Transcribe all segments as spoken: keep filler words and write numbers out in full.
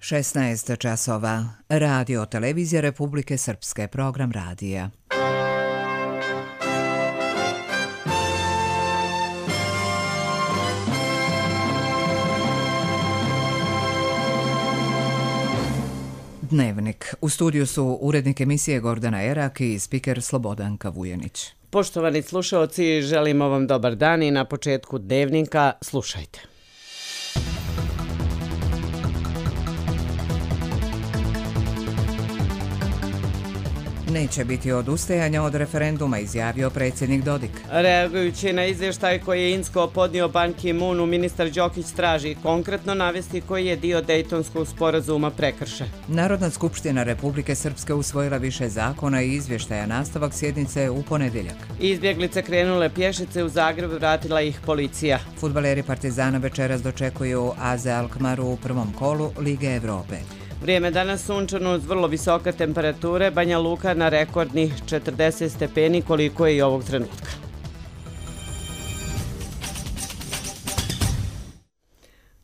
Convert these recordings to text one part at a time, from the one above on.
šesnaest časova. Radio Televizija Republike Srpske, program radija. Dnevnik. U studiju su urednik emisije Gordana Erak i spiker Slobodanka Vujanić. Poštovani slušaoci, želimo vam dobar dan i na početku Dnevnika slušajte. Neće biti odustajanja od referenduma, izjavio predsjednik Dodik. Reagujući na izvještaj koji je Insko podnio Ban Ki-moonu, ministar Đokić traži konkretno navesti koji je dio Dejtonskog sporazuma prekršen. Narodna skupština Republike Srpske usvojila više zakona i izvještaja. Nastavak sjednice u ponedjeljak. Izbjeglice krenule pješice u Zagreb, vratila ih policija. Fudbaleri Partizana večeras dočekuju A Z Alkmaru u prvom kolu Lige Evrope. Vrijeme danas sunčano uz vrlo visoke temperature, Banja Luka na rekordnih četrdeset stepeni koliko je i ovog trenutka.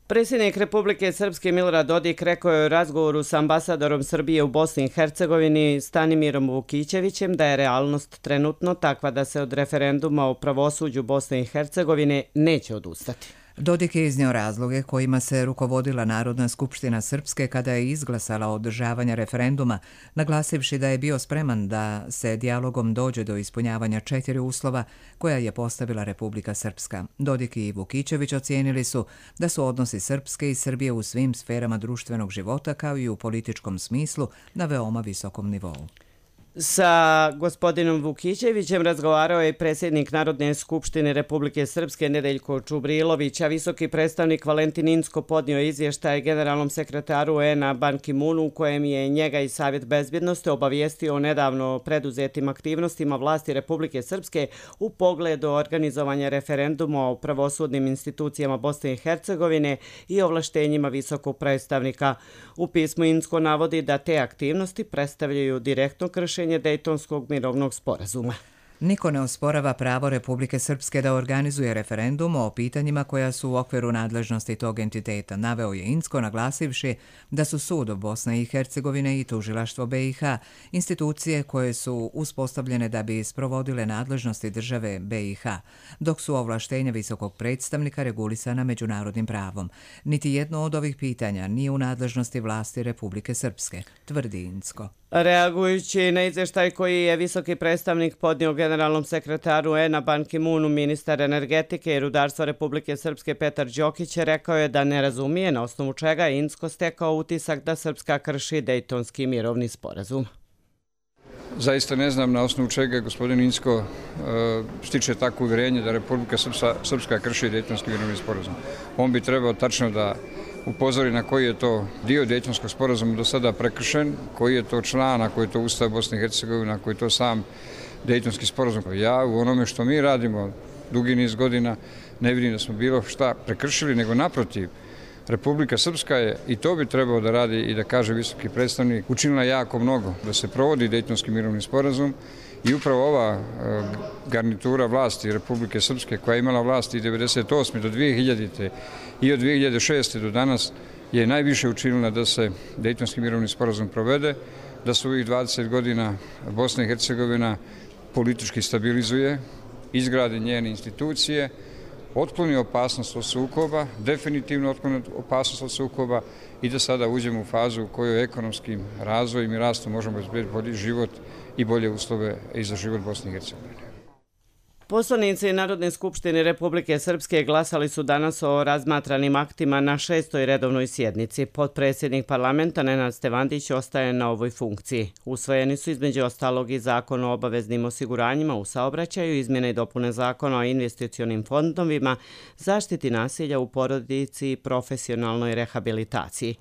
Predsjednik Republike Srpske Milorad Dodik rekao je u razgovoru sa ambasadorom Srbije u Bosni i Hercegovini Stanimirom Vukićevićem da je realnost trenutno takva da se od referenduma o pravosuđu Bosne i Hercegovine neće odustati. Dodik je iznio razloge kojima se rukovodila Narodna skupština Srpske kada je izglasala održavanje referenduma, naglasivši da je bio spreman da se dijalogom dođe do ispunjavanja četiri uslova koja je postavila Republika Srpska. Dodik i Vukićević ocijenili su da su odnosi Srpske i Srbije u svim sferama društvenog života kao i u političkom smislu na veoma visokom nivou. Sa gospodinom Vukićevićem razgovarao je predsjednik Narodne skupštine Republike Srpske Nedeljko Čubrilović, a visoki predstavnik Valentin Inzko podnio izvještaj generalnom sekretaru U N-a Ban Ki-moonu u kojem je njega i Savjet bezbjednosti obavijestio o nedavno preduzetim aktivnostima vlasti Republike Srpske u pogledu organizovanja referenduma o pravosudnim institucijama Bosne i Hercegovine i ovlaštenjima visokog predstavnika. U pismu Inzko navodi da te aktivnosti predstavljaju direktno kršenje Dejtonskog mirovnog sporazuma. Niko ne osporava pravo Republike Srpske da organizuje referendum o pitanjima koja su u okviru nadležnosti tog entiteta, naveo je Inzko naglasivši da su sud Bosne i Hercegovine i tužilaštvo B i H institucije koje su uspostavljene da bi sprovodile nadležnosti države B i H, dok su ovlaštenja visokog predstavnika regulisana međunarodnim pravom. Niti jedno od ovih pitanja nije u nadležnosti vlasti Republike Srpske, tvrdi Inzko. Reagujući na izvještaj koji je visoki predstavnik podnio generalnom sekretaru U N-a Ban Ki-moonu, ministar energetike i rudarstva Republike Srpske Petar Đokić rekao je da ne razumije na osnovu čega je Inzko stekao utisak da Srpska krši Dejtonski mirovni sporazum. Zaista ne znam na osnovu čega gospodin Inzko uh, stiče takvo uvjerenje da Republika Srpska, Srpska krši Dejtonski mirovni sporazum. On bi trebao tačno da upozori na koji je to dio Dejtonskog sporazuma do sada prekršen, koji je to član, ako je to Ustav Bosne i Hercegovine, ako je to sam Dejtonski sporazum. Ja u onome što mi radimo dugi niz godina ne vidim da smo bilo šta prekršili, nego naprotiv. Republika Srpska je, i to bi trebao da radi i da kaže visoki predstavnik, učinila jako mnogo da se provodi Dejtonski mirovni sporazum i upravo ova garnitura vlasti Republike Srpske koja je imala vlasti od devedeset osme do dvije hiljadite i od dvije hiljade šeste do danas je najviše učinila da se Dejtonski mirovni sporazum provede, da se u ovih dvadeset godina Bosna i Hercegovina politički stabilizuje, izgradi njene institucije, otkloni opasnost od sukoba, definitivno otkloni opasnost od sukoba i da sada uđemo u fazu u kojoj ekonomskim razvojem i rastom možemo izbjediti bolji život i bolje uslove i za život Bosne i Hercegovine. Poslanici Narodne skupštine Republike Srpske glasali su danas o razmatranim aktima na šestoj redovnoj sjednici. Potpredsjednik parlamenta Nenad Stevandić ostaje na ovoj funkciji. Usvojeni su između ostalog i zakon o obaveznim osiguranjima u saobraćaju, izmjene i dopune zakona o investicionim fondovima, zaštiti nasilja u porodici i profesionalnoj rehabilitaciji.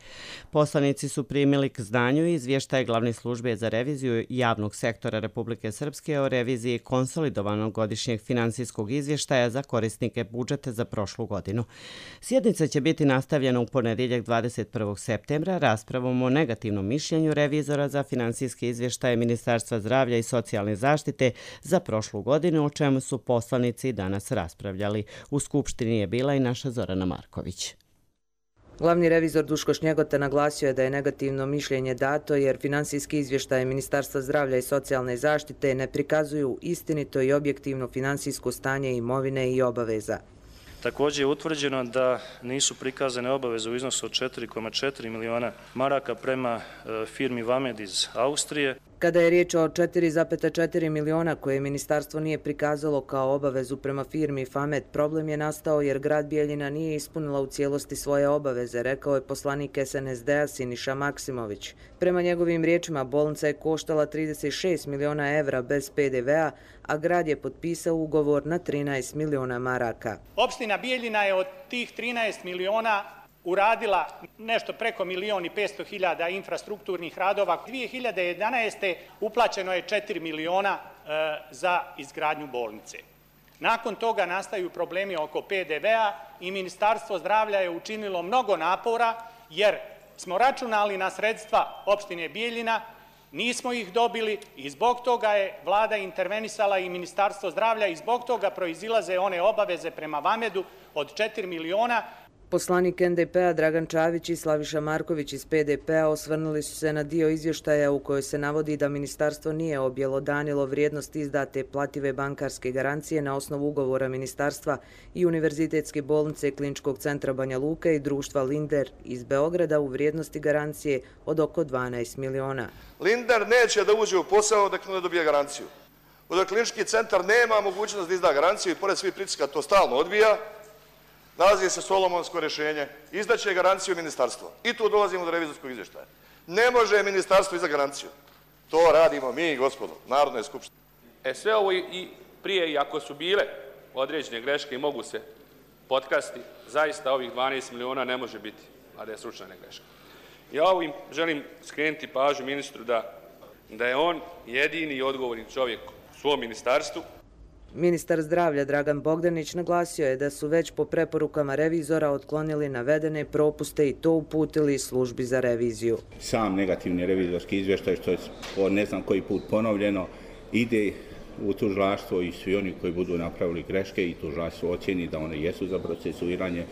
Poslanici su primili k znanju izvještaj Glavne službe za reviziju javnog sektora Republike Srpske o reviziji konsolidovanog godišnjeg finansijskog izvještaja za korisnike budžeta za prošlu godinu. Sjednica će biti nastavljena u ponedjeljak dvadeset prvog septembra raspravom o negativnom mišljenju revizora za finansijske izvještaje Ministarstva zdravlja i socijalne zaštite za prošlu godinu, o čemu su poslanici danas raspravljali. U Skupštini je bila i naša Zorana Marković. Glavni revizor Duško Šnjegota naglasio je da je negativno mišljenje dato jer finansijski izvještaje Ministarstva zdravlja i socijalne zaštite ne prikazuju istinito i objektivno finansijsko stanje imovine i obaveza. Također je utvrđeno da nisu prikazane obaveze u iznosu od četiri zarez četiri miliona maraka prema firmi Vamed iz Austrije. Kada je riječ o četiri zarez četiri miliona koje ministarstvo nije prikazalo kao obavezu prema firmi Famed, problem je nastao jer grad Bijeljina nije ispunila u cijelosti svoje obaveze, rekao je poslanik S N S D-a Siniša Maksimović. Prema njegovim riječima, bolnica je koštala trideset šest miliona evra bez P D V-a, a grad je potpisao ugovor na trinaest miliona maraka. Opština Bijeljina je od tih trinaest miliona uradila nešto preko milion i petsto hiljada infrastrukturnih radova. dvije hiljade jedanaeste. uplaćeno je četiri miliona e, za izgradnju bolnice. Nakon toga nastaju problemi oko P D V-a i Ministarstvo zdravlja je učinilo mnogo napora jer smo računali na sredstva opštine Bijeljina, nismo ih dobili i zbog toga je vlada intervenisala i Ministarstvo zdravlja i zbog toga proizilaze one obaveze prema Vamedu od četiri miliona. Poslanik N D P-a Dragan Čavić i Slaviša Marković iz P D P-a osvrnuli su se na dio izvještaja u kojoj se navodi da ministarstvo nije objelodanilo vrijednost izdate plative bankarske garancije na osnovu ugovora ministarstva i Univerzitetske bolnice Kliničkog centra Banja Luka i društva Linder iz Beograda u vrijednosti garancije od oko dvanaest miliona. Linder neće da uđe u posao dok ne dobije garanciju. Dok Klinički centar nema mogućnost da izda garanciju i pored svih pritiska to stalno odbija, nalazi se solomonsko rješenje, izdaće garanciju ministarstva. I tu dolazimo do revizorskog izvještaja. Ne može ministarstvo izdati garanciju. To radimo mi, gospodo, Narodne skupštine. E sve ovo i prije, i ako su bile određene greške i mogu se potkrasti, zaista ovih dvanaest miliona ne može biti, a da je slučajna greška. Ja ovim želim skrenuti pažnju ministru da, da je on jedini odgovorni čovjek u svom ministarstvu. Ministar zdravlja Dragan Bogdanić naglasio je da su već po preporukama revizora otklonili navedene propuste i to uputili službi za reviziju. Sam negativni revizorski izvještaj, što je po ne znam koji put ponovljeno, ide u tužilaštvo i svi oni koji budu napravili greške i tužilaštvo ocjeni da one jesu za procesuiranje.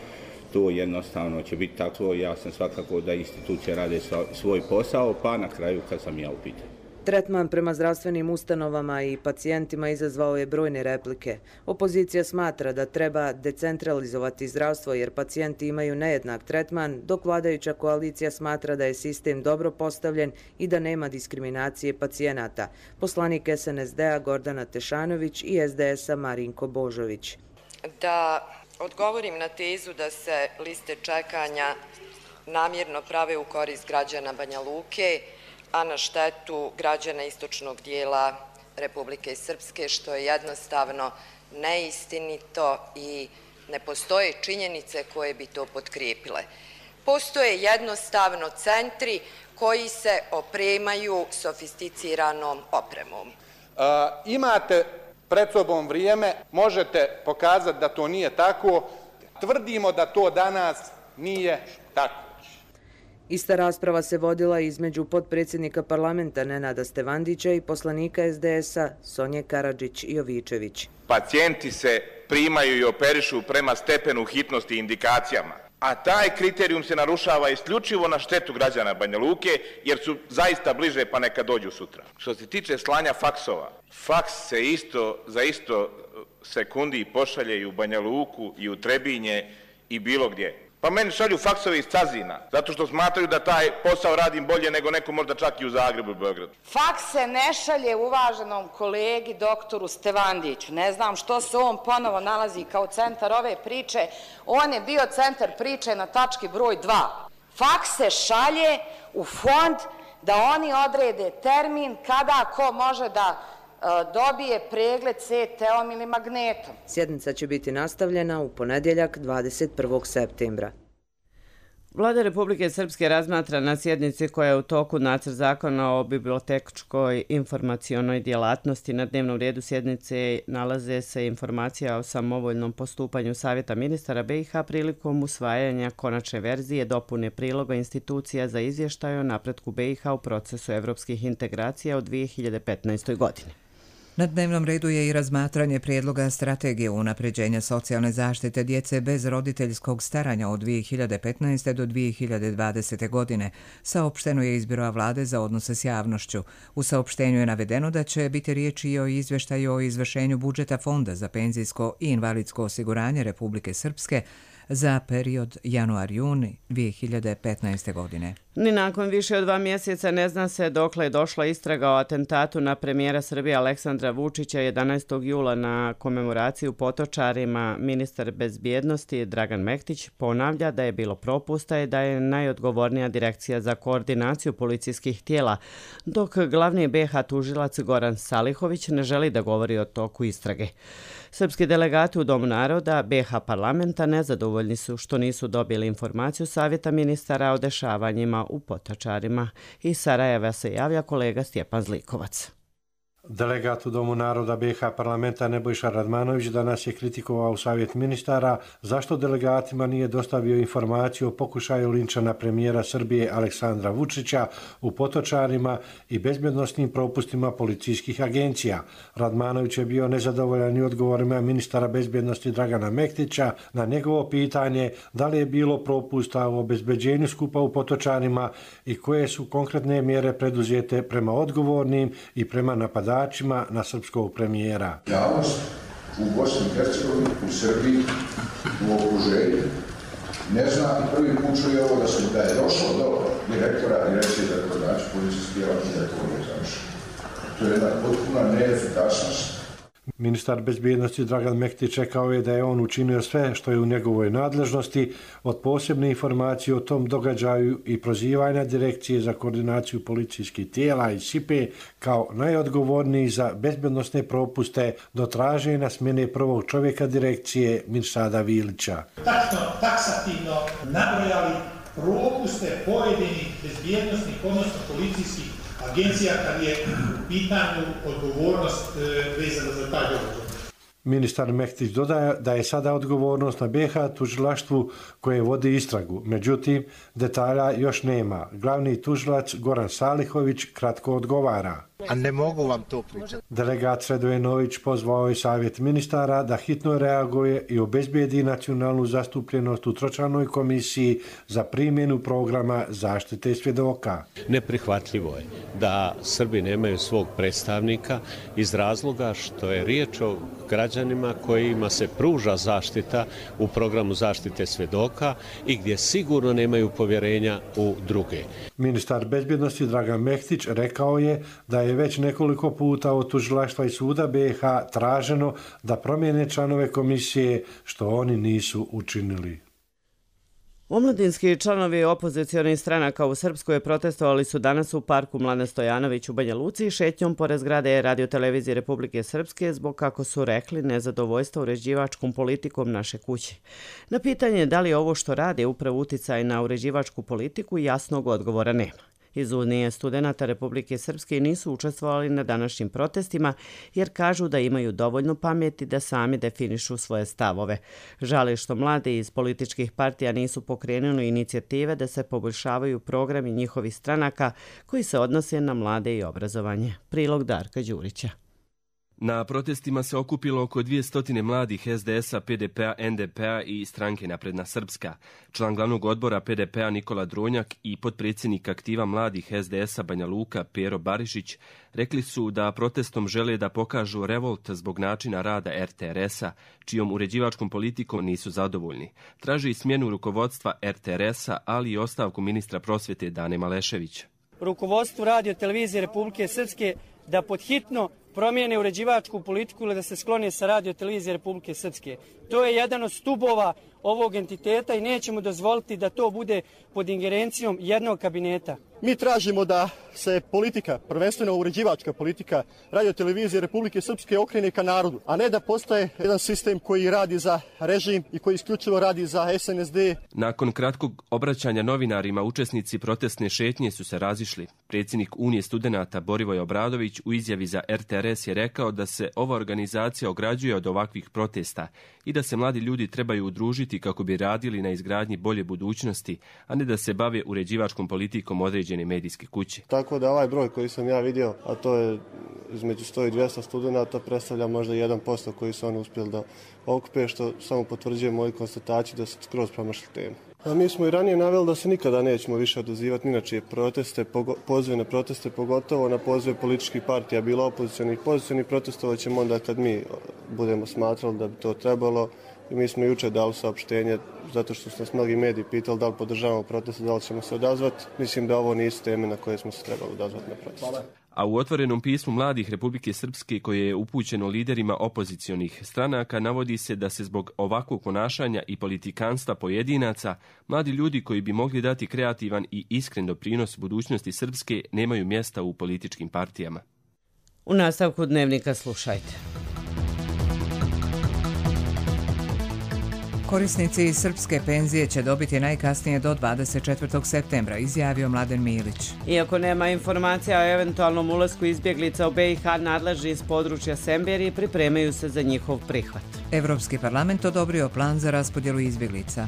To jednostavno će biti tako. Ja sam svakako da institucije rade svoj posao, pa na kraju kad sam ja u pitanju. Tretman prema zdravstvenim ustanovama i pacijentima izazvao je brojne replike. Opozicija smatra da treba decentralizovati zdravstvo jer pacijenti imaju nejednak tretman, dok vladajuća koalicija smatra da je sistem dobro postavljen i da nema diskriminacije pacijenata. Poslanik S N S D-a Gordana Tešanović i S D S-a Marinko Božović. Da odgovorim na tezu da se liste čekanja namjerno prave u korist građana Banja Luke, a na štetu građana istočnog dijela Republike Srpske, što je jednostavno neistinito i ne postoje činjenice koje bi to potkrijepile. Postoje jednostavno centri koji se opremaju sofisticiranom opremom. A, imate pred sobom vrijeme, možete pokazati da to nije tako. Tvrdimo da to danas nije tako. Ista rasprava se vodila između potpredsjednika parlamenta Nenada Stevandića i poslanika S D S-a Sonje Karadžić-Jovičević. Pacijenti se primaju i operišu prema stepenu hitnosti i indikacijama, a taj kriterijum se narušava isključivo na štetu građana Banja Luke, jer su zaista bliže pa neka dođu sutra. Što se tiče slanja faksova, faks se isto za isto sekundi pošalje i u Banja Luku i u Trebinje i bilo gdje. Pa meni šalju faksove iz Cazina, zato što smatraju da taj posao radim bolje nego neko možda čak i u Zagrebu i Beogradu. Faks se ne šalje uvaženom kolegi doktoru Stevandiću. Ne znam što se on ponovo nalazi kao centar ove priče. On je bio centar priče na tački broj dva. Faks se šalje u fond da oni odrede termin kada ko može da dobije pregled C T-om ili magnetom. Sjednica će biti nastavljena u ponedjeljak dvadeset prvog septembra. Vlada Republike Srpske razmatra na sjednici koja je u toku nacrt zakona o bibliotečkoj informacionoj djelatnosti. Na dnevnom redu sjednice nalaze se informacija o samovoljnom postupanju Savjeta ministara B i H prilikom usvajanja konačne verzije dopune priloga institucija za izvještaj o napretku B i H u procesu evropskih integracija u dvije hiljade petnaestoj. godini. Na dnevnom redu je i razmatranje prijedloga strategije unapređenja socijalne zaštite djece bez roditeljskog staranja od dvije hiljade petnaeste. do dvije hiljade dvadesete. godine, saopšteno je iz Biroa vlade za odnose s javnošću. U saopštenju je navedeno da će biti riječi i o izvještaju o izvršenju budžeta Fonda za penzijsko i invalidsko osiguranje Republike Srpske za period januar-juni dvije hiljade petnaeste. godine. Ni nakon više od dva mjeseca ne zna se dokle je došla istraga o atentatu na premijera Srbije Aleksandra Vučića jedanaestog jula na komemoraciju Potočarima. Ministar bezbjednosti Dragan Mektić ponavlja da je bilo propusta i da je najodgovornija direkcija za koordinaciju policijskih tijela, dok glavni be ha tužilac Goran Salihović ne želi da govori o toku istrage. Srpski delegati u Domu naroda be ha parlamenta nezadovoljni su što nisu dobili informaciju Savjeta ministara o dešavanjima u Potočarima. Iz Sarajeva se javlja kolega Stjepan Zlikovac. Delegat u Domu naroda be ha parlamenta Nebojša Radmanović danas je kritikovao Savjet ministara zašto delegatima nije dostavio informaciju o pokušaju linča na premijera Srbije Aleksandra Vučića u Potočarima i bezbjednosnim propustima policijskih agencija. Radmanović je bio nezadovoljan i odgovorima ministara bezbjednosti Dragana Mektića na njegovo pitanje da li je bilo propusta u obezbeđenju skupa u Potočarima i koje su konkretne mjere preduzete prema odgovornim i prema napadačima na srpskog premijera. Javnost u Bosni i Hercegovini, u Srbiji, u okruženju ne zna i prvi put čuje ovo da se da je došlo do direktora direkcije za koordinaciju policijskih tijela i da to nije završeno. To je jedna potpuna neefikasnost. Ministar bezbjednosti Dragan Mektić rekao je da je on učinio sve što je u njegovoj nadležnosti, od posebne informacije o tom događaju i prozivanja direkcije za koordinaciju policijskih tijela i sipe kao najodgovorniji za bezbjednosne propuste do traženja smjene prvog čovjeka direkcije Mirsada Vilića. Tačno, taksativno nabrojali propuste pojedinih bezbjednostnih, odnosno policijskih agencija kad je u pitanju odgovornost vezana za taj događaj. Ministar Mektić dodaje da je sada odgovornost na be ha tužilaštvu koje vodi istragu. Međutim, detalja još nema. Glavni tužilac Goran Salihović kratko odgovara. A ne mogu vam to pričati. Delegat Sredojenović pozvao je Savjet ministara da hitno reaguje i obezbijedi nacionalnu zastupljenost u tročlanoj komisiji za primjenu programa zaštite svjedoka. Neprihvatljivo je da Srbi nemaju svog predstavnika iz razloga što je riječ o građanima kojima se pruža zaštita u programu zaštite svjedoka i gdje sigurno nemaju povjerenja u druge. Ministar bezbjednosti Dragan Mektić rekao je da je već nekoliko puta od tužilaštva i suda be ha traženo da promijene članove komisije, što oni nisu učinili. Omladinski članovi opozicionih stranaka u Srpskoj protestovali su danas u parku Mladen Stojanović u Banja Luci šetnjom pored zgrade Radio-televizije Republike Srpske zbog, kako su rekli, nezadovoljstva uređivačkom politikom naše kuće. Na pitanje da li ovo što rade upravo uticaj na uređivačku politiku, jasnog odgovora nema. Iz Unije studenata Republike Srpske nisu učestvovali na današnjim protestima jer kažu da imaju dovoljno pameti da sami definišu svoje stavove. Žale što mladi iz političkih partija nisu pokrenuli inicijative da se poboljšavaju programi njihovih stranaka koji se odnose na mlade i obrazovanje. Prilog Darka Đurića. Na protestima se okupilo oko dvjesto mladih es de es a, pe de pe a, en de pe a i stranke Napredna Srpska. Član glavnog odbora pe de pe a Nikola Dronjak i potpredsjednik aktiva mladih es de es a Banja Luka Pero Barišić rekli su da protestom žele da pokažu revolt zbog načina rada er te er es-a, čijom uređivačkom politikom nisu zadovoljni. Traži smjenu rukovodstva er te er es-a, ali i ostavku ministra prosvjete Dane Maleševića. Rukovodstvu Radio-televizije Republike Srpske da podhitno promijene uređivačku politiku ili da se sklone sa Radio-televizije Republike Srpske. To je jedan od stubova ovog entiteta i nećemo dozvoliti da to bude pod ingerencijom jednog kabineta. Mi tražimo da se politika, prvenstveno uređivačka politika Radio-televizije Republike Srpske okrene ka narodu, a ne da postaje jedan sistem koji radi za režim i koji isključivo radi za es en es de. Nakon kratkog obraćanja novinarima, učesnici protestne šetnje su se razišli. Predsjednik Unije studenata Borivoj Obradović u izjavi za er te er es je rekao da se ova organizacija ograđuje od ovakvih protesta i da se mladi ljudi trebaju udružiti kako bi radili na izgradnji bolje budućnosti, a ne da se bave uređivačkom politikom određenih određene medijske kuće. Tako da ovaj broj koji sam ja vidio, a to je između sto i dvjesto studenta, predstavlja možda jedan posto koji su oni uspjeli da okupe, što samo potvrđuje moju konstataciju da su skroz promašili temu. A mi smo i ranije naveli da se nikada nećemo više odazivati ni na čije proteste, pozive na proteste, pogotovo na pozive političkih partija, bilo opozicionih, pozicionih, protestovat ćemo onda kad mi budemo smatrali da bi to trebalo. I mi smo jučer dali saopštenje, zato što su nas mnogi mediji pitali da li podržavamo proteste, da li ćemo se odazvati. Mislim da ovo nisu teme na koje smo se trebali odazvati na proteste. A u otvorenom pismu mladih Republike Srpske koje je upućeno liderima opozicionih stranaka navodi se da se zbog ovakvog ponašanja i politikanstva pojedinaca mladi ljudi koji bi mogli dati kreativan i iskren doprinos budućnosti Srpske nemaju mjesta u političkim partijama. U nastavku dnevnika slušajte. Korisnici srpske penzije će dobiti najkasnije do dvadeset četvrtog septembra, izjavio Mladen Milić. Iako nema informacija o eventualnom ulasku izbjeglica u B i H, nadležni iz područja Semberije pripremaju se za njihov prihvat. Evropski parlament odobrio plan za raspodjelu izbjeglica.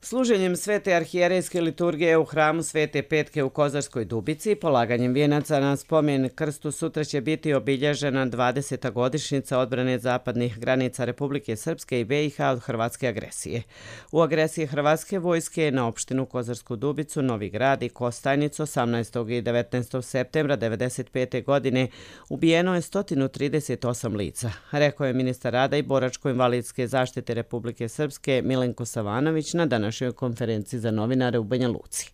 Služenjem Svete arhijerejske liturgije u hramu Svete Petke u Kozarskoj Dubici i polaganjem vijenaca na spomen krstu sutra će biti obilježena dvadeseta godišnjica odbrane zapadnih granica Republike Srpske i B i H od hrvatske agresije. U agresiji hrvatske vojske na opštinu Kozarsku Dubicu, Novi Grad i Kostajnicu osamnaestog i devetnaestog septembra devedeset pete. godine ubijeno je sto trideset osam lica, rekao je ministar rada i boračko-invalidske zaštite Republike Srpske Milenko Savanović na današnjoj konferenciji za novinare u Banja Luci.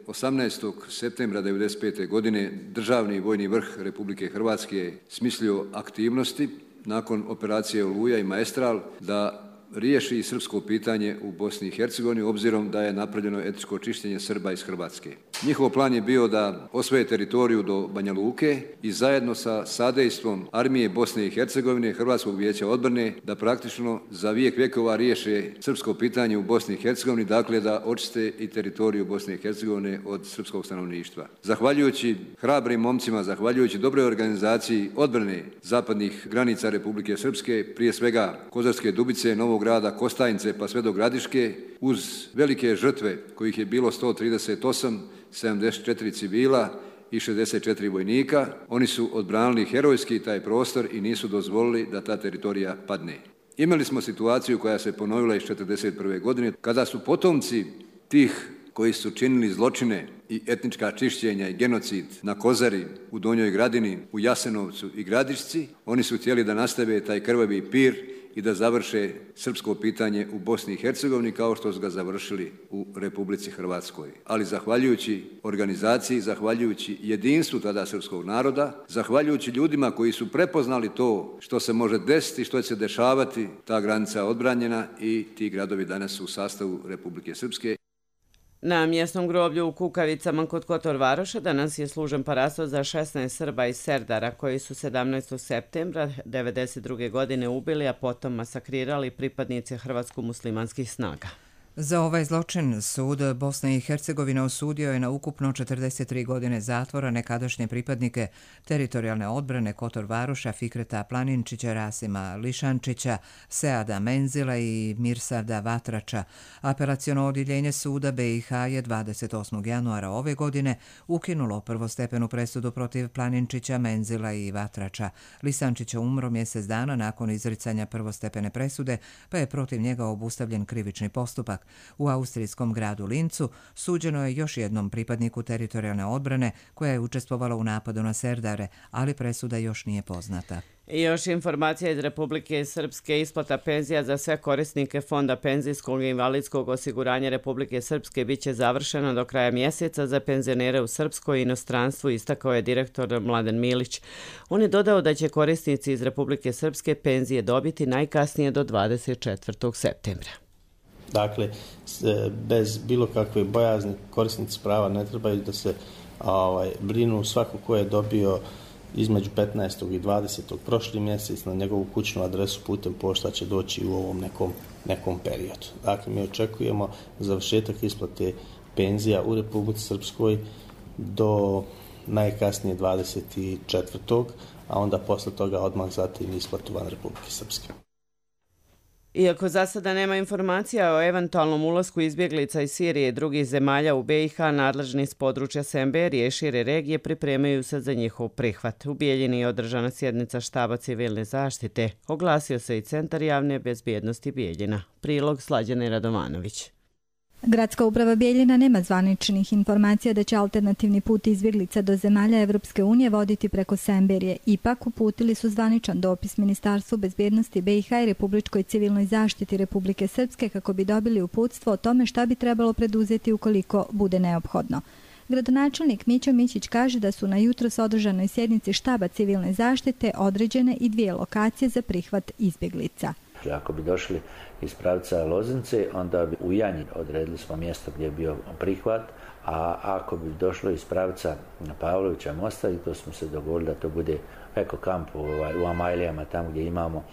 osamnaestog septembra devedeset pete. godine Državni vojni vrh Republike Hrvatske je smislio aktivnosti nakon operacije Oluja i Maestral da riješi srpsko pitanje u Bosni i Hercegovini, obzirom da je napravljeno etničko čišćenje Srba iz Hrvatske. Njihov plan je bio da osvoje teritoriju do Banja Luke i zajedno sa sadejstvom armije Bosne i Hercegovine, Hrvatskog vijeća odbrane, da praktično za vijek vjekova riješe srpsko pitanje u Bosni i Hercegovini, dakle da očiste i teritoriju Bosne i Hercegovine od srpskog stanovništva. Zahvaljujući hrabrim momcima, zahvaljujući dobroj organizaciji odbrane zapadnih granica Republike Srpske, prije svega Kozarske Dubice, Novog Grada, Kostajnice pa sve do Gradiške, uz velike žrtve kojih je bilo sto trideset osam, sedamdeset četiri civila i šezdeset četiri vojnika, oni su odbranili herojski taj prostor i nisu dozvolili da ta teritorija padne. Imali smo situaciju koja se ponovila iz četrdeset prve. godine, kada su potomci tih koji su činili zločine i etnička čišćenja i genocid na Kozari, u Donjoj Gradini, u Jasenovcu i Gradišci, oni su htjeli da nastave taj krvavi pir i da završe srpsko pitanje u Bosni i Hercegovini kao što su ga završili u Republici Hrvatskoj. Ali zahvaljujući organizaciji, zahvaljujući jedinstvu tada srpskog naroda, zahvaljujući ljudima koji su prepoznali to što se može desiti, što će se dešavati, ta granica odbranjena i ti gradovi danas su u sastavu Republike Srpske. Na mjesnom groblju u Kukavicama kod Kotor Varoša danas je služen parasto za šesnaest Srba iz Serdara koji su sedamnaestog septembra devedeset druge. godine ubili, a potom masakrirali pripadnice hrvatsko-muslimanskih snaga. Za ovaj zločin sud Bosne i Hercegovine osudio je na ukupno četrdeset tri godine zatvora nekadašnje pripadnike teritorijalne odbrane Kotor Varoša, Fikreta Planinčića, Rasima Lišančića, Seada Menzila i Mirsada Vatrača. Apelaciono odjeljenje suda B i H je dvadeset osmog januara ove godine ukinulo prvostepenu presudu protiv Planinčića, Menzila i Vatrača. Lišančić je umro mjesec dana nakon izricanja prvostepene presude, pa je protiv njega obustavljen krivični postupak. U austrijskom gradu Lincu suđeno je još jednom pripadniku teritorijalne odbrane koja je učestvovala u napadu na Serdare, ali presuda još nije poznata. I još informacija iz Republike Srpske. Isplata penzija za sve korisnike Fonda penzijskog i invalidskog osiguranja Republike Srpske bit će završena do kraja mjeseca za penzionere u Srpskoj i inostranstvu, istakao je direktor Mladen Milić. On je dodao da će korisnici iz Republike Srpske penzije dobiti najkasnije do dvadeset četvrtog. septembra. Dakle, bez bilo kakve bojazni korisnici prava ne trebaju da se ovaj, brinu. Svako ko je dobio između petnaestog i dvadesetog prošli mjesec na njegovu kućnu adresu putem pošta će doći u ovom nekom, nekom periodu. Dakle, mi očekujemo završetak isplate penzija u Republici Srpskoj do najkasnije dvadeset četvrtog. a onda posle toga odmah zatim isplatu van Republike Srpske. Iako za sada nema informacija o eventualnom ulasku izbjeglica iz Sirije i drugih zemalja u B i H, nadležni s područja Semberije i šire regije pripremaju se za njihov prihvat. U Bijeljini je održana sjednica štaba civilne zaštite. Oglasio se i Centar javne bezbjednosti Bijeljina. Prilog Slađane Radovanović. Gradska uprava Bijeljina nema zvaničnih informacija da će alternativni put izbjeglica do zemalja Evropske unije voditi preko Semberije. Ipak uputili su zvaničan dopis Ministarstvu bezbjednosti B i H i Republičkoj civilnoj zaštiti Republike Srpske kako bi dobili uputstvo o tome šta bi trebalo preduzeti ukoliko bude neophodno. Gradonačelnik Mićo Mićić kaže da su na jutros održanoj sjednici štaba civilne zaštite određene i dvije lokacije za prihvat izbjeglica. Ako bi došli iz pravca Loznice, onda bi u Janji odredili smo mjesto gdje je bio prihvat, a ako bi došlo iz pravca Pavlovića mosta, i to smo se dogovorili da to bude eko kamp u Amajlijama, tamo gdje imamo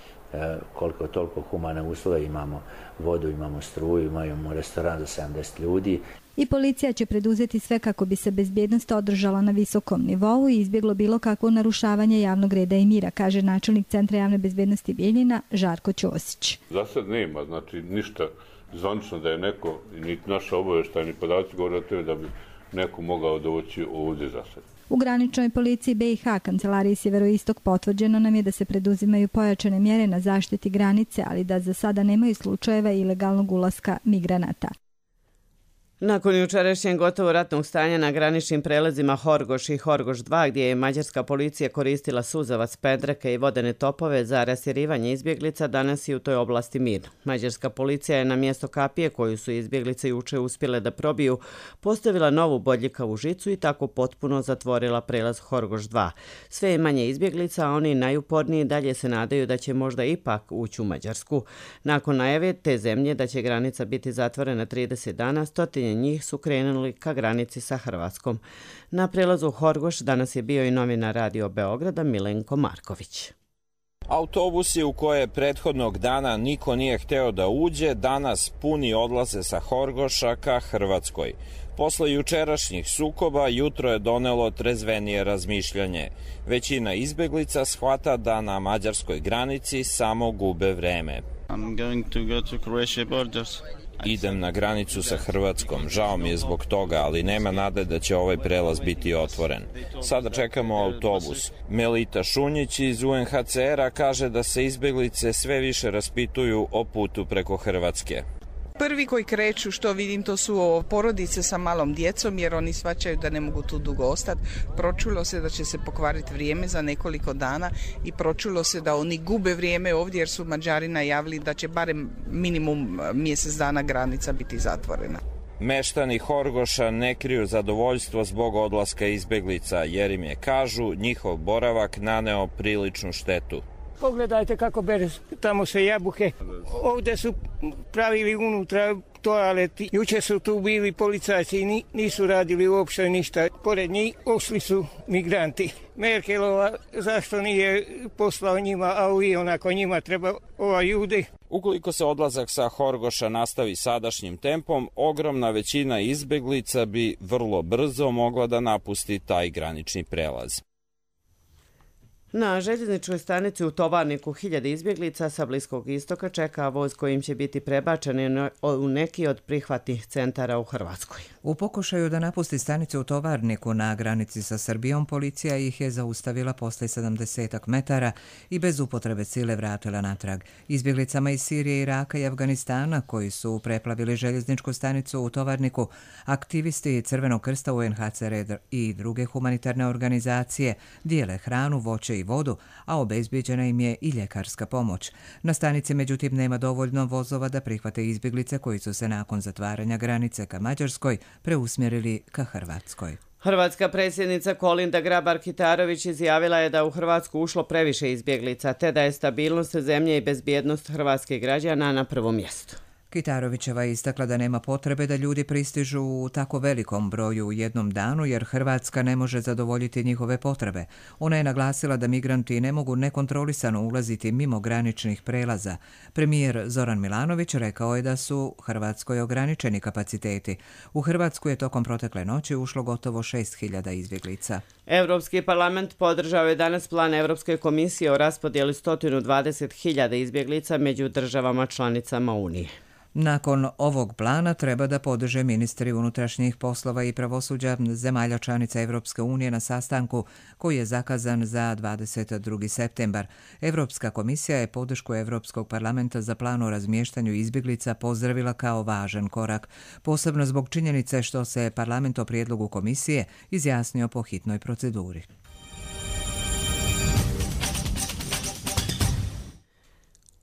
koliko toliko humane uslove, imamo vodu, imamo struju, imamo restoran za sedamdeset ljudi. I policija će preduzeti sve kako bi se bezbjednost održala na visokom nivou i izbjeglo bilo kakvo narušavanje javnog reda i mira, kaže načelnik Centra javne bezbjednosti Bijeljina Žarko Ćosić. Za sad nema, znači ništa zvanično da je neko, ni naša obavještajni podaci govore o tome da bi neko mogao doći ovdje za sad. U graničnoj policiji B i H kancelariji Sjeveroistok potvrđeno nam je da se preduzimaju pojačane mjere na zaštiti granice, ali da za sada nemaju slučajeva ilegalnog ulaska migranata. Nakon jučerašnjeg gotovo ratnog stanja na graničnim prelazima Horgoš i Horgoš dva, gdje je mađarska policija koristila suzavac, pendreke i vodene topove za rastjerivanje izbjeglica, danas je u toj oblasti mir. Mađarska policija je na mjesto kapije koju su izbjeglice juče uspjele da probiju postavila novu bodljikavu žicu i tako potpuno zatvorila prelaz Horgoš dva. Sve je manje izbjeglica, a oni najuporniji dalje se nadaju da će možda ipak ući u Mađarsku. Nakon najave te zemlje da će granica biti zatvorena trideset dana, stotine njih su krenuli ka granici sa Hrvatskom. Na prelazu Horgoš danas je bio i novinar Radio Beograda Milenko Marković. Autobusi u koje prethodnog dana niko nije hteo da uđe, danas puni odlaze sa Horgoša ka Hrvatskoj. Posle jučerašnjih sukoba, jutro je donelo trezvenije razmišljanje. Većina izbeglica shvata da na mađarskoj granici samo gube vreme. I'm going to go to Croatia borders. Idem na granicu sa Hrvatskom, žao mi je zbog toga, ali nema nade da će ovaj prelaz biti otvoren. Sada čekamo autobus. Melita Šunjić iz U N H C R-a kaže da se izbeglice sve više raspituju o putu preko Hrvatske. Prvi koji kreću, što vidim, to su porodice sa malom djecom, jer oni shvaćaju da ne mogu tu dugo ostati. Pročulo se da će se pokvariti vrijeme za nekoliko dana i pročulo se da oni gube vrijeme ovdje, jer su Mađari najavili da će barem minimum mjesec dana granica biti zatvorena. Meštani Horgoša ne kriju zadovoljstvo zbog odlaska izbeglica, jer im je, kažu, njihov boravak naneo priličnu štetu. Pogledajte kako bere tamo se jabuke. Ovdje su pravili unutra toaleti. Juče su tu bili policajci i nisu radili uopšte ništa. Pored njih ošli su migranti. Merkelova zašto nije poslao njima, a i onako njima treba ova ljudi. Ukoliko se odlazak sa Horgoša nastavi sadašnjim tempom, ogromna većina izbeglica bi vrlo brzo mogla da napusti taj granični prelaz. Na željezničkoj stanici u Tovarniku hiljade izbjeglica sa Bliskog istoka čeka voz kojim će biti prebačeni u neki od prihvatnih centara u Hrvatskoj. U pokušaju da napusti stanicu u Tovarniku na granici sa Srbijom, policija ih je zaustavila posle sedamdeset metara i bez upotrebe sile vratila natrag. Izbjeglicama iz Sirije, Iraka i Afganistana koji su preplavili željezničku stanicu u Tovarniku, aktivisti Crvenog krsta, U N H C R i druge humanitarne organizacije dijele hranu, voće i vodu, a obezbijeđena im je i ljekarska pomoć. Na stanici međutim nema dovoljno vozova da prihvate izbjeglice koji su se nakon zatvaranja granice ka Mađarskoj preusmjerili ka Hrvatskoj. Hrvatska predsjednica Kolinda Grabar-Kitarović izjavila je da u Hrvatsku ušlo previše izbjeglica, te da je stabilnost zemlje i bezbjednost hrvatskih građana na prvom mjestu. Kitarovićeva je istakla da nema potrebe da ljudi pristižu u tako velikom broju u jednom danu jer Hrvatska ne može zadovoljiti njihove potrebe. Ona je naglasila da migranti ne mogu nekontrolisano ulaziti mimo graničnih prelaza. Premijer Zoran Milanović rekao je da su Hrvatskoj ograničeni kapaciteti. U Hrvatsku je tokom protekle noći ušlo gotovo šest hiljada izbjeglica. Europski parlament podržao je danas plan Europske komisije o raspodjeli sto dvadeset hiljada izbjeglica među državama članicama Unije. Nakon ovog plana treba da podrže ministri unutrašnjih poslova i pravosuđa zemalja članica Evropske unije na sastanku koji je zakazan za dvadeset drugi septembar. Evropska komisija je podršku Evropskog parlamenta za plan o razmještanju izbjeglica pozdravila kao važan korak, posebno zbog činjenice što se parlament o prijedlogu komisije izjasnio po hitnoj proceduri.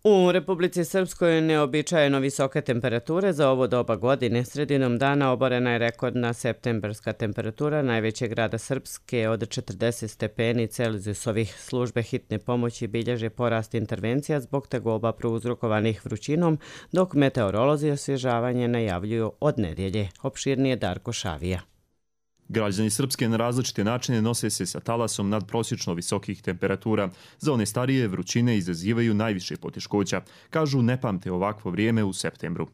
U Republici Srpskoj neobičajeno visoke temperature za ovo doba godine. Sredinom dana oborena je rekordna septembarska temperatura najvećeg grada Srpske od četrdeset stepeni Celzijusovih. Službe hitne pomoći bilježe porast intervencija zbog tegoba prouzrokovanih vrućinom, dok meteorolozi osvježavanje najavljuju od nedjelje. Opširnije Darko Šavija. Građani Srpske na različite načine nose se sa talasom nadprosječno visokih temperatura. Za one starije vrućine izazivaju najviše poteškoća. Kažu ne pamte ovakvo vrijeme u septembru.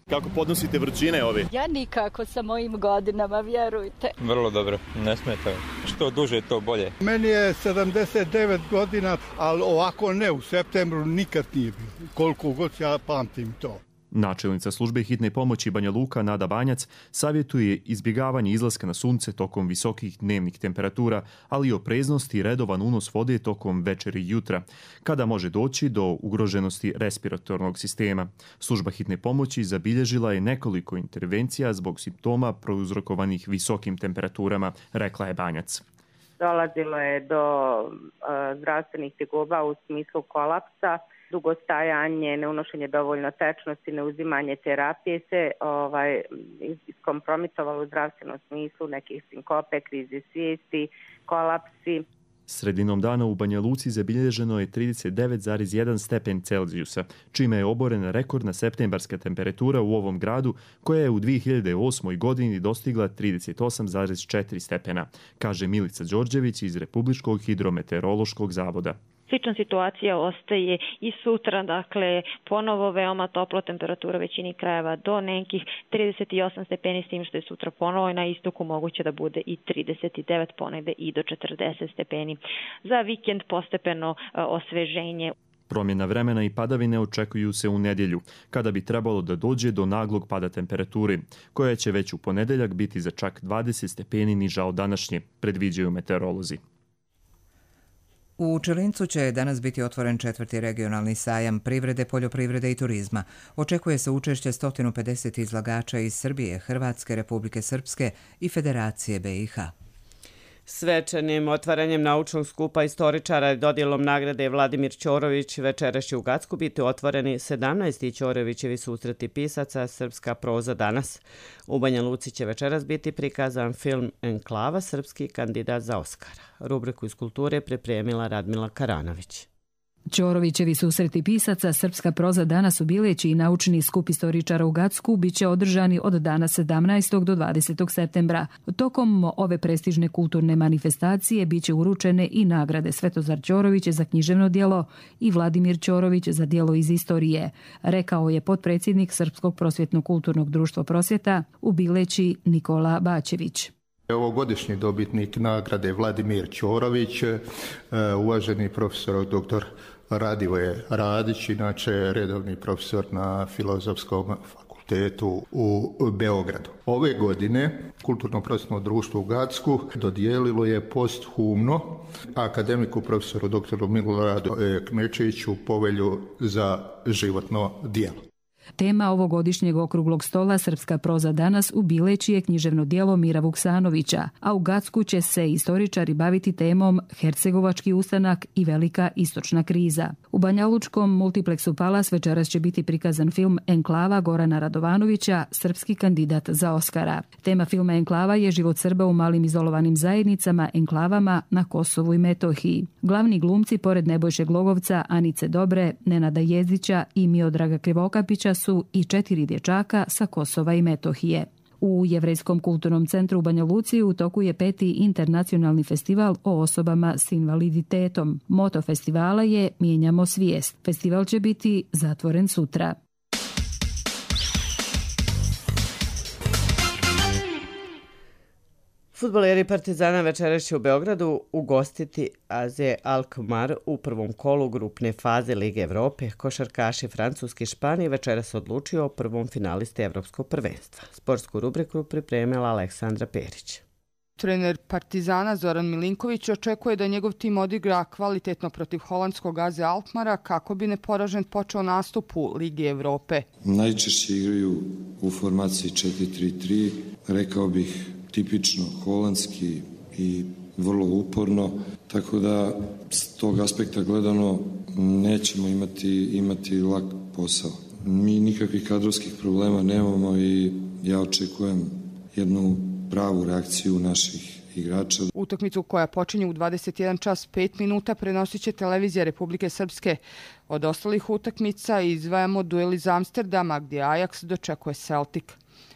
Kako podnosite vrućine ove? Ja nikako sa mojim godinama, vjerujte. Vrlo dobro, ne smeta. Što duže, to bolje. Meni je sedamdeset devet godina, ali ovako ne, u septembru nikad nije bilo. Koliko god ja pamtim to. Načelnica službe hitne pomoći Banja Luka Nada Banjac savjetuje izbjegavanje izlaska na sunce tokom visokih dnevnih temperatura, ali i opreznosti i redovan unos vode tokom večeri i jutra, kada može doći do ugroženosti respiratornog sistema. Služba hitne pomoći zabilježila je nekoliko intervencija zbog simptoma prouzrokovanih visokim temperaturama, rekla je Banjac. Dolazilo je do uh, zdravstvenih tegoba u smislu kolapsa, dugostajanje, neunošenje dovoljno tečnosti, neuzimanje terapije se ovaj, iskompromitovalo u zdravstvenom smislu, nekih sinkope, krize svijesti, kolapsi. Sredinom dana u Banja Luci zabilježeno je trideset devet zarez jedan stepen Celzijusa, čime je oborena rekordna septembarska temperatura u ovom gradu, koja je u dvije hiljade osmoj. godini dostigla trideset osam zarez četiri stepena, kaže Milica Đorđević iz Republičkog hidrometeorološkog zavoda. Slična situacija ostaje i sutra, dakle ponovo veoma topla temperatura većini krajeva do nekih trideset osam stepeni, s tim što je sutra ponovo i na istoku moguće da bude i trideset devet, ponegde i do četrdeset stepeni. Za vikend postepeno osveženje. Promjena vremena i padavine očekuju se u nedjelju, kada bi trebalo da dođe do naglog pada temperature, koja će već u ponedeljak biti za čak dvadeset stepeni niža od današnje, predviđaju meteorolozi. U Čelincu će danas biti otvoren četvrti regionalni sajam privrede, poljoprivrede i turizma. Očekuje se učešće sto pedeset izlagača iz Srbije, Hrvatske, Republike Srpske i Federacije B i H. Svečanim otvaranjem naučnog skupa istoričara i dodjelom nagrade Vladimir Ćorović večeras će u Gacku biti otvoreni sedamnaesti Ćorovićevi susreti pisaca Srpska proza danas. U Banja Luci će večeras biti prikazan film Enklava, srpski kandidat za Oskara. Rubriku iz kulture pripremila Radmila Karanović. Ćorovićevi susreti pisaca Srpska proza danas u Bileći i naučni skup istoričara u Gacku biće održani od dana sedamnaestog do dvadesetog septembra. Tokom ove prestižne kulturne manifestacije biće uručene i nagrade Svetozar Ćorović za književno djelo i Vladimir Ćorović za djelo iz istorije, rekao je potpredsjednik Srpskog prosvjetno-kulturnog društva Prosvjeta u Bileći Nikola Bačević. Ovogodišnji dobitnik nagrade Vladimir Ćorović, uvaženi profesor doktor Radivoje Radić, inače redovni profesor na Filozofskom fakultetu u Beogradu. Ove godine Kulturno-prosvjetno društvo u Gacku dodijelilo je posthumno akademiku profesoru doktoru Miloradu Kmečeviću povelju za životno djelo. Tema ovogodišnjeg okruglog stola Srpska proza danas u Bileći je književno djelo Mira Vuksanovića, a u Gacku će se istoričari baviti temom Hercegovački ustanak i velika istočna kriza. U Banjalučkom multipleksu Palas večeras će biti prikazan film Enklava Gorana Radovanovića, srpski kandidat za Oskara. Tema filma Enklava je život Srba u malim izolovanim zajednicama, enklavama na Kosovu i Metohiji. Glavni glumci, pored Nebojše Glogovca, Anice Dobre, Nenada Jezdića i Miodraga Krivokapića, su i četiri dječaka sa Kosova i Metohije. U Jevrejskom kulturnom centru u Banja Luci u toku je peti internacionalni festival o osobama s invaliditetom. Moto festivala je Mijenjamo svijest. Festival će biti zatvoren sutra. Fudbaleri Partizana večeras će u Beogradu ugostiti A Z Alkmaar u prvom kolu grupne faze Lige Evrope. Košarkaši Francuske i Španije večeras odlučio o prvom finalisti Evropskog prvenstva. Sportsku rubriku pripremila Aleksandra Perić. Trener Partizana Zoran Milinković očekuje da njegov tim odigra kvalitetno protiv holandskog A Z Alkmaara kako bi neporažen počeo nastup u Ligi Evrope. Najčešće igraju u formaciji četiri tri tri, rekao bih tipično holandski i vrlo uporno, tako da s tog aspekta gledano nećemo imati, imati lak posao. Mi nikakvih kadrovskih problema nemamo i ja očekujem jednu pravu reakciju naših igrača. Utakmicu koja počinje u dvadeset jedan čas pet minuta prenosit će televizija Republike Srpske. Od ostalih utakmica izdvajamo duel iz Amsterdama gdje Ajax dočekuje Celtic.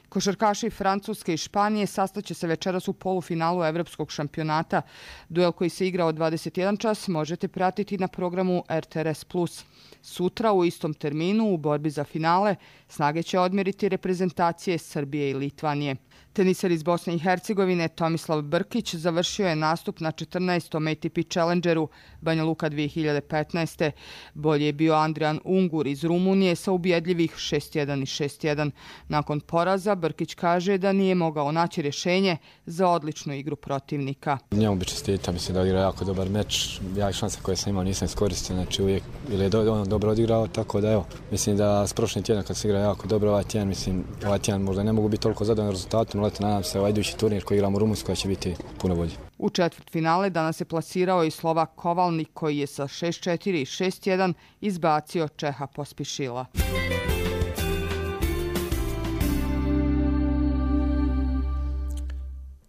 Košarkaši Francuske i Španije sastaće se večeras u polufinalu Evropskog šampionata. Duel koji se igra od dvadeset jedan čas možete pratiti na programu R T R S plus. Sutra u istom terminu u borbi za finale snage će odmjeriti reprezentacije Srbije i Litvanije. Teniser iz Bosne i Hercegovine Tomislav Brkić završio je nastup na četrnaestom A T P Challengeru Banja Luka dvije hiljade petnaeste. Bolje je bio Andrijan Ungur iz Rumunije sa ubjedljivih šest jedan i šest jedan. Nakon poraza Brkić kaže da nije mogao naći rješenje za odličnu igru protivnika. Njemu bi čestitao, mislim da odigra jako dobar meč. Ja i šanse koje sam imao nisam iskoristio, znači uvijek ili je do, on dobro odigrao, tako da evo, mislim da s prošlim tjednom kad se igra jako dobro, ovaj tjedan, mislim, ovaj tjedan možda ne mogu biti toliko zadovoljni rezultatom, ali nadam se ovaj idući turnir koji igramo u Rumunjskoj će biti puno bolji. U četvrtfinale danas se plasirao i Slovak Kovalnik koji je sa šest četiri i šest jedan izbacio Čeha Pospišila.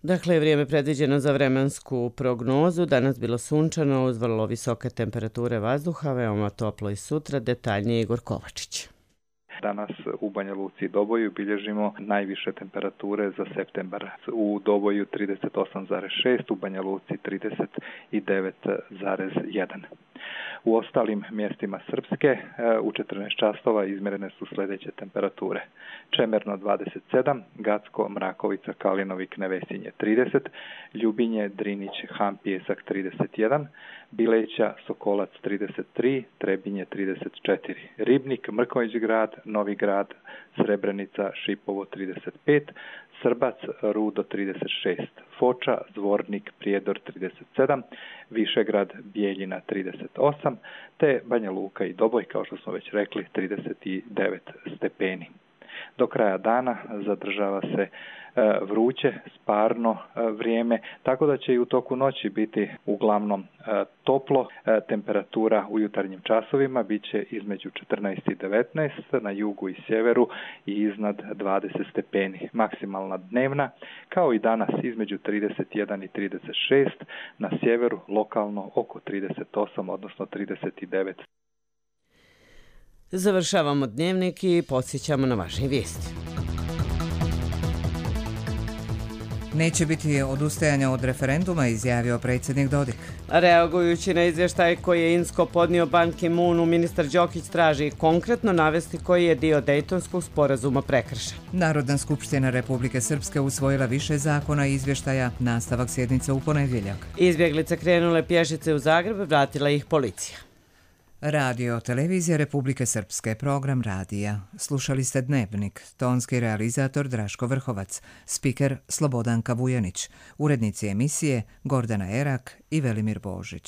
Dakle, vrijeme predviđeno za vremensku prognozu. Danas bilo sunčano uz vrlo visoke temperature vazduha, veoma toplo i sutra. Detaljnije Igor Kovačić. Danas u Banja Luci i Doboju bilježimo najviše temperature za septembar. U Doboju trideset osam zarez šest, u Banja Luci trideset devet zarez jedan. U ostalim mjestima Srpske u četrnaest časova izmjerene su sljedeće temperature. Čemerno dvadeset sedam, Gacko, Mrakovica, Kalinovik, Nevesinje trideset, Ljubinje, Drinić, Han, Pijesak trideset jedan, Bileća, Sokolac trideset tri, Trebinje trideset četiri, Ribnik, Mrkonjić grad, Novi grad, Srebrenica, Šipovo trideset pet, Srbac, Rudo trideset šest, Foča, Zvornik, Prijedor trideset sedam, Višegrad, Bijeljina trideset osam, te Banja Luka i Doboj, kao što smo već rekli, trideset devet stepeni. Do kraja dana zadržava se vruće, sparno vrijeme, tako da će i u toku noći biti uglavnom toplo. Temperatura u jutarnjim časovima bit će između četrnaest i devetnaest, na jugu i sjeveru i iznad dvadeset stepeni. Maksimalna dnevna, kao i danas, između trideset jedan i trideset šest, na sjeveru lokalno oko trideset osam, odnosno trideset devet. Završavamo dnevnik i podsjećamo na važne vijesti. Neće biti odustajanja od referenduma, izjavio predsjednik Dodik. Reagujući na izvještaj koji je Insko podnio Ban Ki-moonu, ministar Đokić traži konkretno navesti koji je dio Dejtonskog sporazuma prekršen. Narodna skupština Republike Srpske usvojila više zakona i izvještaja, nastavak sjednice u ponedjeljak. Izbjeglice krenule pješice u Zagreb, vratila ih policija. Radio Televizija Republike Srpske, program radija. Slušali ste Dnevnik, tonski realizator Draško Vrhovac, spiker Slobodanka Vujanić, urednici emisije Gordana Erak i Velimir Božić.